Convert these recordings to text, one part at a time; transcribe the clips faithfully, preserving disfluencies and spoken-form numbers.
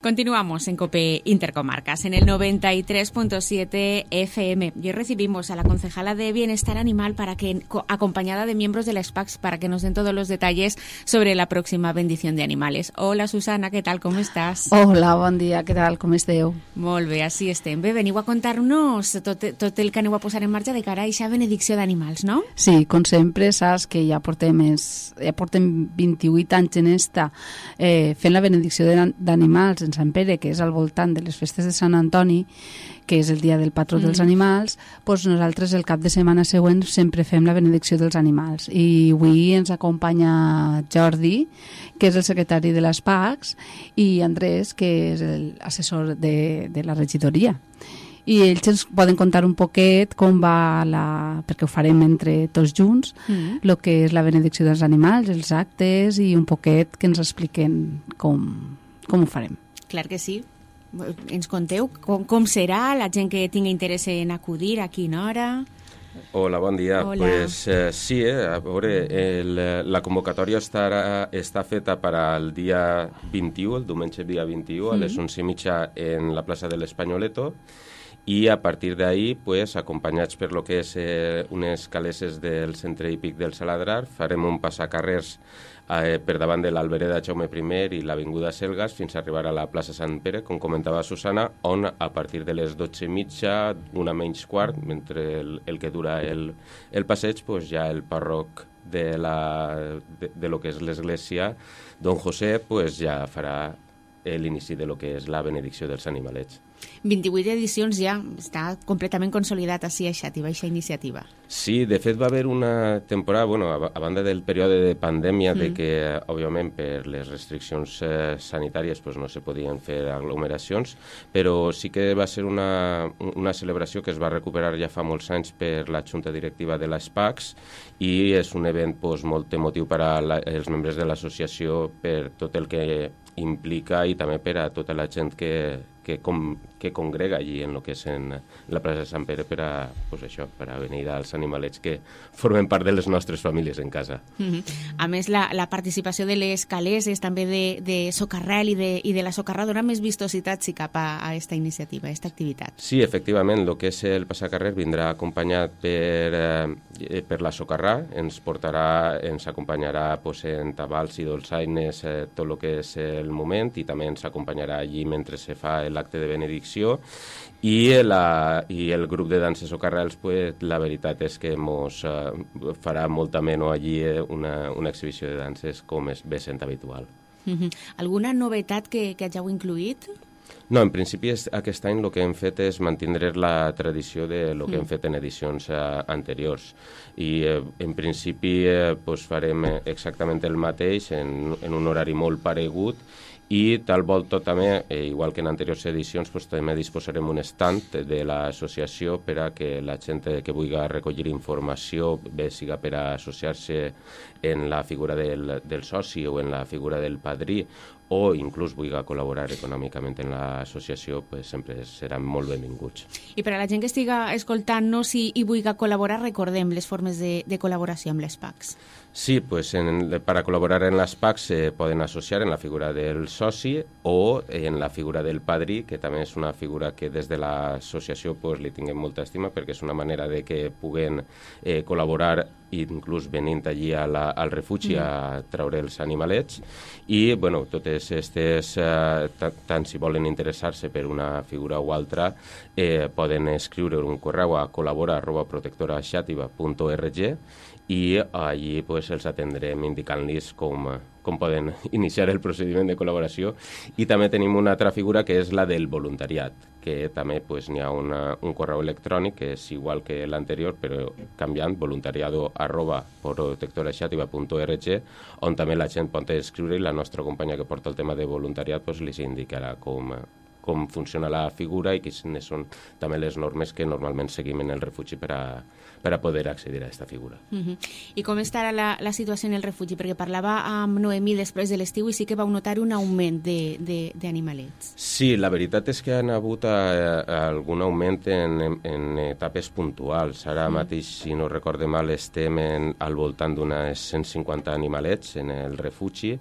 Continuamos en COPE Intercomarcas, en el noventa y tres punto siete F M. Y recibimos a la concejala de Bienestar Animal para que, acompañada de miembros de la S P A C S, para que nos den todos los detalles sobre la próxima bendición de animales. Hola, Susana, ¿qué tal? ¿Cómo estàs? Hola, bon dia, què tal? Com esteu? Molt bé, així estem. Bé, veniu a contar-nos tot, tot el que aneu a posar en marxa de cara a aquesta benedicció d'animals, no? Sí, com sempre, saps que ja portem, es, ja portem vint-i-vuit anys en esta eh, fent la benedicció d'animals en Sant Pere, que és al voltant de les festes de Sant Antoni, que és el dia del patró mm. dels animals, doncs nosaltres el cap de setmana següent sempre fem la benedicció dels animals. I avui ens acompanya Jordi, que és el secretari de les P A C S, i Andrés, que és l'assessor de, de la regidoria. I ells ens poden contar un poquet com va la... perquè ho farem entre tots junts, mm. el que és la benedicció dels animals, els actes, i un poquet que ens expliquen com, com ho farem. Clar que sí. Ens conteu com, com serà, la gent que tingui interès en acudir, a quina hora? Hola, bon dia. Hola. Pues eh, sí, eh, a veure, el, la convocatòria estarà, està feta per al dia vint-i-u, el diumenge dia vint-i-u, a les onze i mitja en la plaça de l'Espanyoleto, i a partir d'ahí, pues, acompanyats per lo que és eh, unes caleses del centre hípic del Saladrar, farem un passacarrers eh, per davant de l'Albereda Jaume I i l'Avinguda Selgas fins a arribar a la plaça Sant Pere, com comentava Susana, on a partir de les dotze i mitja, una menys quart, mentre el, el que dura el, el passeig, pues, ja el pàrroc de, la, de, de lo que és l'església, don José, pues, ja farà l'inici de lo que és la benedicció dels animalets. vint-i-vuit edicions ja, està completament consolidat així aquesta iniciativa. Sí, de fet va haver una temporada, bueno, a, a banda del període de pandèmia, mm. de que, òbviament, per les restriccions eh, sanitàries pues, no se podien fer aglomeracions, però sí que va ser una, una celebració que es va recuperar ja fa molts anys per la Junta Directiva de la S P A C S, i és un event pues, molt emotiu per als membres de l'associació per tot el que implica i també per a tota la gent que, que, com, que congrega allí en lo que és en la plaça de Sant Pere per a, pues això, per a venir als animalets que formen part de les nostres famílies en casa. Mm-hmm. A més, la, la participació de les caleses, també de, de Socarrel i de, i de la Socarrà dona més vistositat si cap a, a esta iniciativa, a esta activitat. Sí, efectivament, el que és el passacarrer vindrà acompanyat per, eh, per la Socarrà, ens portarà, ens acompanyarà pues, en tabals i dolçaines eh, tot el que és el moment, i també ens acompanyarà allí mentre se fa l'acte de benedicció, i, la, i el grup de danses Socarrels, pues, la veritat és que mos uh, farà molt ameno allí una, una exhibició de danses com és bé sent habitual. Mm-hmm. Alguna novetat que, que hàgiu incluït? No, en principi és, aquest any el que hem fet és mantindre la tradició de lo que mm. hem fet en edicions eh, anteriors, i eh, en principi eh, pues farem exactament el mateix en, en un horari molt paregut, i tal volta també, eh, igual que en anteriors edicions, pues, també disposarem un stand de l'associació per a que la gent que vulgui recollir informació, bé siga per a associar-se en la figura del, del soci o en la figura del padrí, o inclús vulgui col·laborar econòmicament en l'associació, pues, sempre seran molt benvinguts. I per a la gent que estiga escoltant-nos i, i vulgui col·laborar, recordem les formes de, de col·laboració amb les P A C S. Sí, pues en, para colaborar en las P A C S se pueden asociar en la figura del soci o en la figura del padrí, que també és una figura que des de l'associació pues, li tinguem molta estima, perquè és una manera de que puguen eh, col·laborar inclús venint allí a la, al refugi mm. a treure els animalets, i bueno, totes aquestes, eh, tant si volen interessar-se per una figura o altra, eh, poden escriure un correu a col·labora arroba protectora xàtiva punt org, i allí pues, els atendrem indicant-los com, com poden iniciar el procediment de col·laboració. I també tenim una altra figura que és la del voluntariat, que també pues, n'hi ha una, un correu electrònic que és igual que l'anterior, però canviant, voluntariado arroba protectora xàtiva punt org, on també la gent pot escriure, i la nostra companya que porta el tema de voluntariat pues, li indicarà com, com funciona la figura i quines són també les normes que normalment seguim en el refugi per a, per a poder accedir a aquesta figura. Uh-huh. I com estarà la, la situació en el refugi? Perquè parlava amb Noemí després de l'estiu i sí que vau notar un augment d'animalets. Sí, la veritat és que han hagut a, a algun augment en, en etapes puntuals. Ara uh-huh. mateix, si no recorde mal, estem en, al voltant d'unes cent cinquanta animalets en el refugi,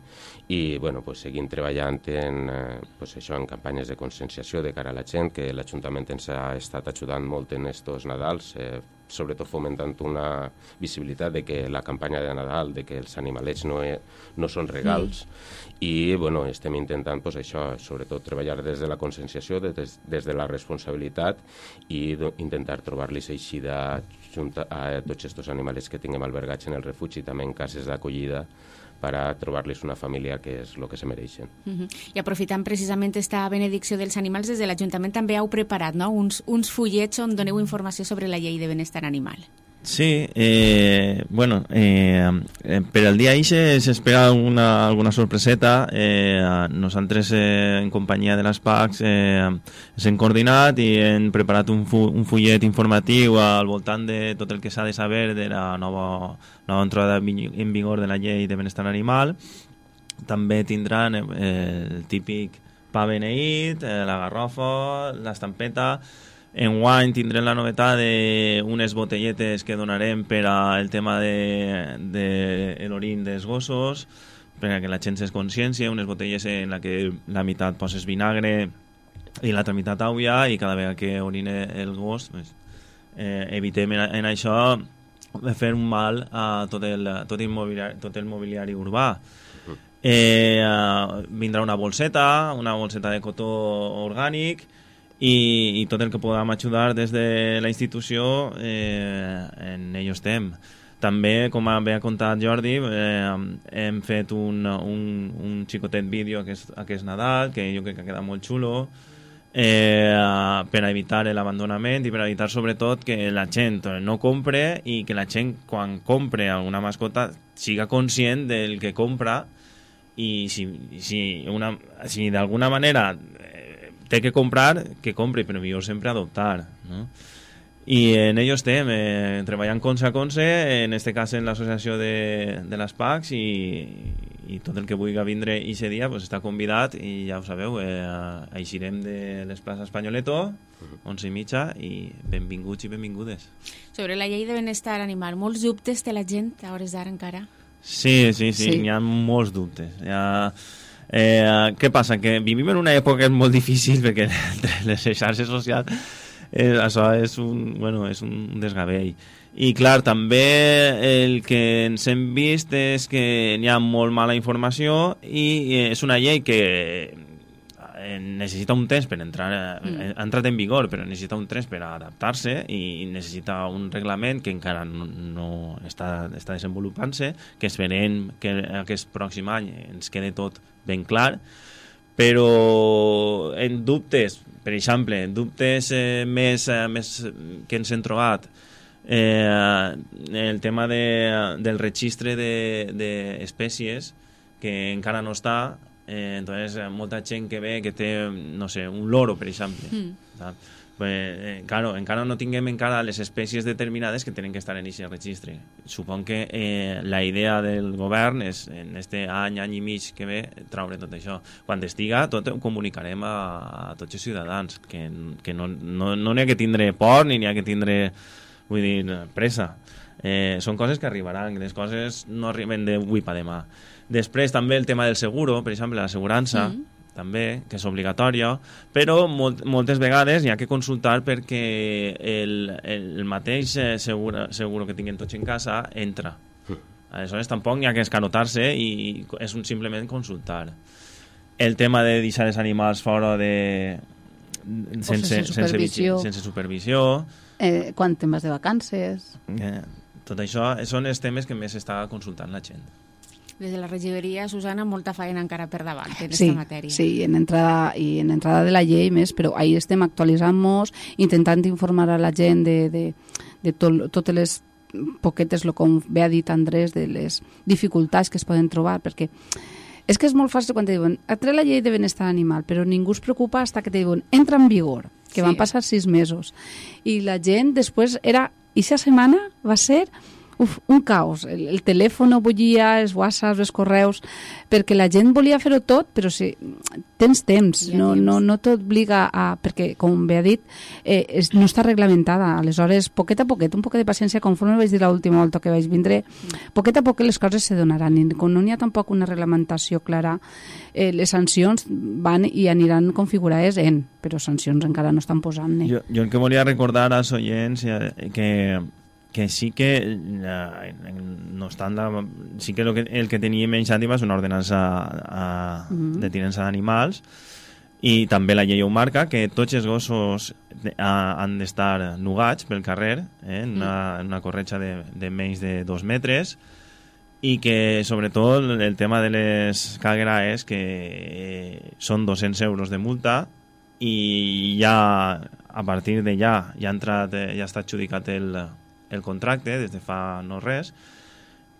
i bueno, pues, seguim treballant en, eh, pues, això, en campanyes de conscienciació de cara a la gent, que l'Ajuntament ens ha estat ajudant molt en estos Nadals, eh, sobretot fomentant una visibilitat de que la campanya de Nadal, de que els animalets no, e, no són regals, mm. i bueno, estem intentant pues, això, sobretot treballar des de la conscienciació, des, des de la responsabilitat i do, intentar trobar-los eixida junta a tots aquests animalets que tinguem albergats en el refugi, també en cases d'acollida, per a trobar-los una família que és el que se mereixen. Uh-huh. I aprofitant precisament esta benedicció dels animals, des de l'Ajuntament també heu preparat, no?, uns, uns fullets on doneu informació sobre la llei de benestar animal. Sí, eh, bueno, eh, eh, per al dia ixe s'espera alguna, alguna sorpreseta. Eh, nosaltres, eh, en companyia de les P A Cs, eh, ens hem coordinat i hem preparat un, fu un fullet informatiu al voltant de tot el que s'ha de saber de la nova, nova entrada en vigor de la llei de benestar animal. També tindran eh, el típic pa beneït, eh, la garrofa, l'estampeta. Enguany tindrem la novetat d'unes botelletes que donarem per al tema de, de l'orin dels gossos, perquè la gent és consciència, unes botelles en la que la meitat poses vinagre i l'altra meitat aigua, i cada vegada que orine el gos pues, eh, evitem en, en això fer un mal a tot el, tot el, mobiliari, tot el mobiliari urbà. Eh, uh, vindrà una bolseta, una bolseta de cotó orgànic, I, i tot el que podem ajudar des de la institució, eh, en ello estem. També, com bé ha contat Jordi, eh, hem fet un, un, un xicotet vídeo aquest, aquest Nadal, que jo crec que queda molt xulo, eh, per a evitar l'abandonament i per a evitar sobretot que la gent no compre, i que la gent, quan compre alguna mascota, siga conscient del que compra, i si, si, una, si d'alguna manera té que comprar, que compri, però millor sempre adoptar, no? I en ello estem, eh, treballant conse a conse, en este cas en l'associació de, de les P A Cs, i, i tot el que vulgui vindre aquest dia pues, està convidat, i ja ho sabeu, eh, eixirem de les places Espanyoleto, onze i mitja, i benvinguts i benvingudes. Sobre la llei de benestar animal, molts dubtes té la gent a hores d'ara encara? Sí, sí, sí, sí. N'hi ha molts dubtes. Hi ha... Eh, què passa? Que vivim en una època molt difícil, perquè entre les xarxes socials eh, això és un, bueno, és un desgavell. I clar, també el que ens hem vist és que n'hi ha molt mala informació, i és una llei que necessita un temps per entrar, mm. ha entrat en vigor, però necessita un temps per adaptar-se, i necessita un reglament que encara no, no està, està desenvolupant-se, que esperem que aquest pròxim any ens quede tot ben clar, però en dubtes, per exemple, en dubtes eh, més, eh, més que ens hem trobat, eh, el tema de, del registre d'espècies, de, que encara no està. Eh, entonces, molta gent que ve que té, no sé, un loro, per exemple. Mm. Pues, eh, claro, encara no tinguem encara les espècies determinades que tenen que estar en aquest registre. Supon que eh, la idea del govern és, en este any, any i mig que ve, traure tot això. Quan estiga, tot ho comunicarem a, a tots els ciutadans, que, que no n'hi no, no ha que tindre por, ni n'hi ha que tindre, vull dir, pressa. Eh, són coses que arribaran, les coses no arriben d'avui per demà. Després també el tema del seguro, per exemple, l'assegurança, mm. també, que és obligatòria, però molt, moltes vegades hi ha que consultar perquè el, el mateix seguro, seguro que tinguin tots en casa entra. Mm. Aleshores tampoc hi ha que escarotar-se, i és un, simplement consultar. El tema de deixar els animals fora de... sense, sense supervisió. Sense, sense supervisió. Eh, quan te'n vas de vacances. Eh, tot això són els temes que més està consultant la gent. Des de la regidoria, Susana, molta feina encara per davant en aquesta sí, matèria. Sí, en entrada, i en entrada de la llei més, però ahí estem actualitzant-nos, intentant informar a la gent de, de, de to, totes les poquetes, lo com bé ha dit Andrés, de les dificultats que es poden trobar, perquè és que és molt fàcil quan te diuen ha tret la llei de benestar animal, però ningú es preocupa fins que te diuen entra en vigor, que sí. Van passar sis mesos. I la gent després era, eixa setmana va ser uf, un caos. El, el telèfon no bullia, els whatsapps, els correus, perquè la gent volia fer-ho tot, però si tens temps, no, no, no t'obliga a... Perquè, com bé ha dit, eh, és, no està reglamentada. Aleshores, poquet a poquet, un poquet de paciència, conforme vaig dir l'última volta que vaig vindre, poquet a poquet les coses se donaran. I com no n'hi ha tampoc una reglamentació clara, eh, les sancions van i aniran configurades en, però sancions encara no estan posant. Eh? Jo, jo el que volia recordar als oients eh, que que sí que eh, no estan la, sí que, lo que el que teníem en Xàtiva és una ordenança a, mm-hmm. de tinença d'animals i també la llei ho marca, que tots els gossos de, a, han d'estar nugats pel carrer, eh, en, una, en una corretja de, de menys de dos metres, i que sobretot el tema de les cagueraes que eh, són dos-cents euros de multa i ja a partir de ja ja ha entrat, ja està adjudicat el el contracte des de fa no res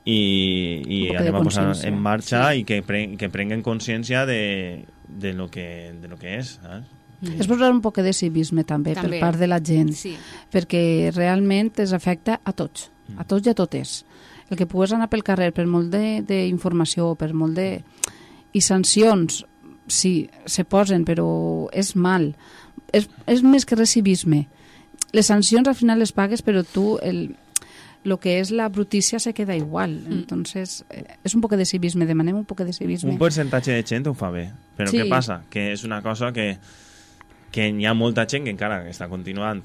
i, i anem a posar en marxa sí. i que, pre, que prenguen consciència de, de, lo que, de lo que és. Eh? Mm. És posar un poc de civisme també, també per part de la gent, sí. perquè realment es afecta a tots, a tots i a totes. El que pugues anar pel carrer per molt d'informació, per molt de... I sancions, sí, se posen, però és mal. És, és més que res civisme. Les sancions al final les pagues, però tu el, lo que és la brutícia se queda igual. Mm. Entonces, eh, és un poc de civisme, demanem un poc de civisme. Un percentatge de gent ho fa bé, però sí. Què passa? Que és una cosa que, que hi ha molta gent que encara està continuant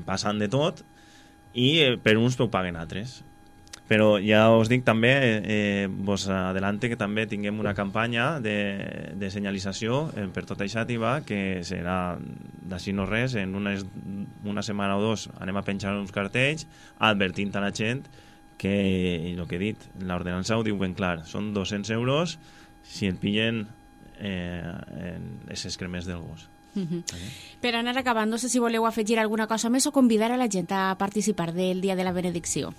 passant de tot i eh, per uns ho paguen altres. Però ja us dic també, eh, vos adelante que també tinguem una campanya de, de senyalització eh, per tota Xàtiva, que serà d'ací no res, en una, una setmana o dos anem a penjar uns cartells advertint a la gent que, el que he dit, l'ordenança ho diu ben clar, són dos-cents euros si et pillen eh, en els excrements del gos. Uh-huh. Okay. Per anar acabant, no sé si voleu afegir alguna cosa més o convidar a la gent a participar del Dia de la Benedicció.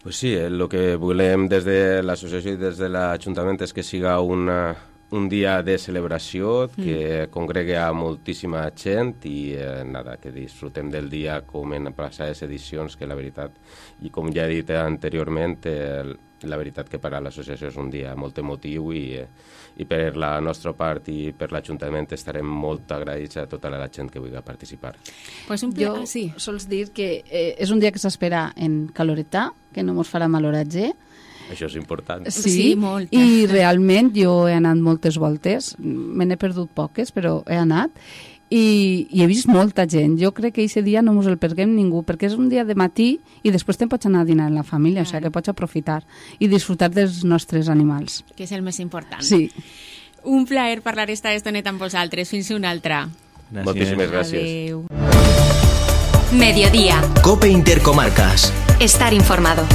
Pues sí, el que volem des de l'associació i des de l'Ajuntament és que siga una, un dia de celebració, que mm. congregui a moltíssima gent i eh, nada, que disfrutem del dia com en passades edicions, que la veritat, i com ja he dit anteriorment, eh, la veritat que per a l'associació és un dia molt emotiu i, eh, i per la nostra part i per l'Ajuntament estarem molt agraïts a tota la gent que vulgui participar. Pues un jo ah, sí. sols dir que eh, és un dia que s'espera en caloretà, que no mos farà maloratge. Això és important. Sí, sí molt. I realment jo he anat moltes voltes, me n'he perdut poques, però he anat, i, i he vist molta gent. Jo crec que aquest dia no mos el perdem ningú, perquè és un dia de matí i després te'n pots anar a dinar en la família, claro. O sigui que pots aprofitar i disfrutar dels nostres animals. Que és el més important. Sí. Un plaer parlar esta estoneta amb vosaltres. Fins una altra. Gràcies. Moltíssimes gràcies. Adéu. Mediodía. COPE Intercomarcas. Estar informado.